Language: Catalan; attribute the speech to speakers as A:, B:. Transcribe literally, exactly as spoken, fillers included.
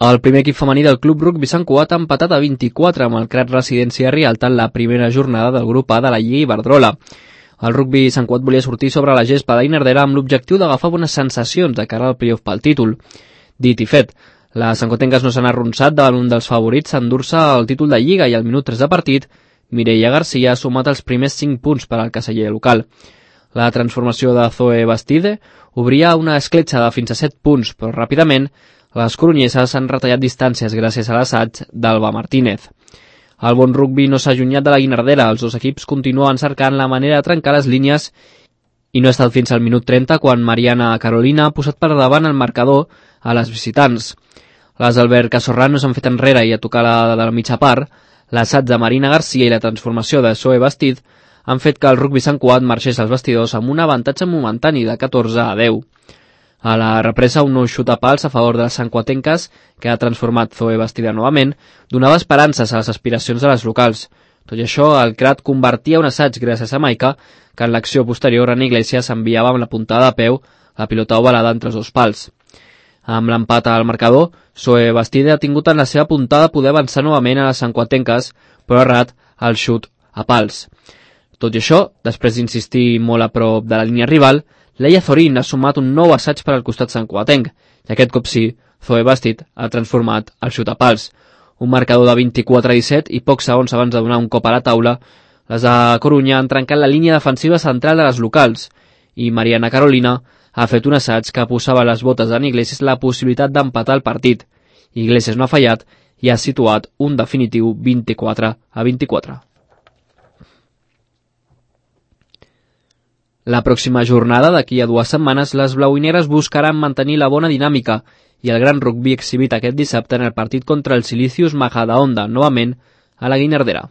A: El primer equip femení del Club Rugby Sant Cugat ha empatat a vint-i-quatre amb el Crat Residència Rialta en la primera jornada del grup A de la Lliga Iberdrola. El Rugby Sant Cugat volia sortir sobre la gespa de Guinardera amb l'objectiu d'agafar bones sensacions de cara al playoff pel títol. Dit i fet, les santcuatenques no s'han arronsat davant un dels favorits a endur-se el títol de Lliga i al minut tres de partit, Mireia Garcia ha sumat els primers cinc punts per al caseller local. La transformació de Zoe Bastide obria una escletxa de fins a set punts, però ràpidament les coronyeses han retallat distàncies gràcies a l'assaig d'Alba Martínez. El bon rugbi no s'ha allunyat de la Guinardera, els dos equips continuen cercant la manera de trencar les línies i no ha estat fins al minut trenta quan Mariana Carolina ha posat per davant el marcador a les visitants. Les Albert Casorrano s'han fet enrere i a tocar la de la mitja part, l'assaig de Marina Garcia i la transformació de Zoe Bastid han fet que el Rugby Sant Cugat marxés als vestidors amb un avantatge momentani de catorze a deu. A la represa, un nou xut a pals a favor de les santcuatenques, que ha transformat Zoe Bastida novament, donava esperances a les aspiracions de les locals. Tot i això, el Crat convertia un assaig gràcies a Maica, que en l'acció posterior en Iglesias enviava amb la puntada de peu la pilota ovalada entre els dos pals. Amb l'empat al marcador, Zoe Bastida ha tingut en la seva puntada poder avançar novament a les santcuatenques, però ha errat el xut a pals. Tot i això, després d'insistir molt a prop de la línia rival, Leia Zorín ha sumat un nou assaig per al costat santcuatenc, i aquest cop sí, Zoe Bastid ha transformat el xut a pals. Un marcador de vint-i-quatre a disset i pocs segons abans de donar un cop a la taula, les de Corunya han trencat la línia defensiva central de les locals, i Mariana Carolina ha fet un assaig que posava a les botes d'en Iglesias la possibilitat d'empatar el partit. Iglesias no ha fallat i ha situat un definitiu vint-i-quatre a vint-i-quatre. La pròxima jornada, d'aquí a dues setmanes, les blauineres buscaran mantenir la bona dinàmica i el gran rugbi exhibit aquest dissabte en el partit contra el Silicius Majadahonda, novament a la Guinardera.